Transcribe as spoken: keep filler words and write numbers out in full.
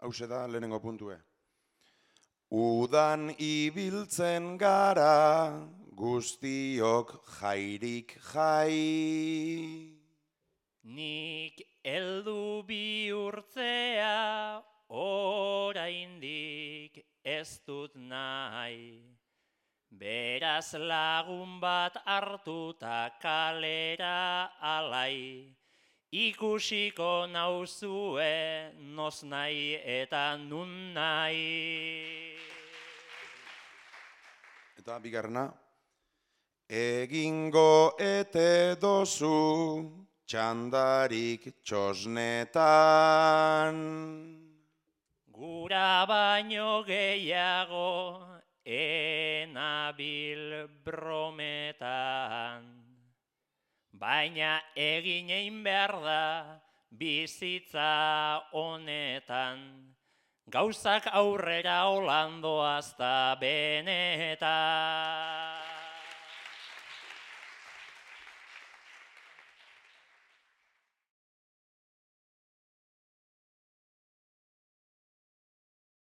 Hauxe da lehenengo puntue. Udan ibiltzen gara, guztiok jairik jai. Nik heldu bihurtzea, oraindik ez dut nahi. Beraz lagun bat hartuta kalera alai, ikusiko nauzue noz nahi eta nun nahi. Eta bigarrena, egingo ete dozu txandarik txosnetan. Gura baino gehiago enabil brometan, baina egin egin behar da bizitza honetan, gauzak aurrera holandoazta benetan.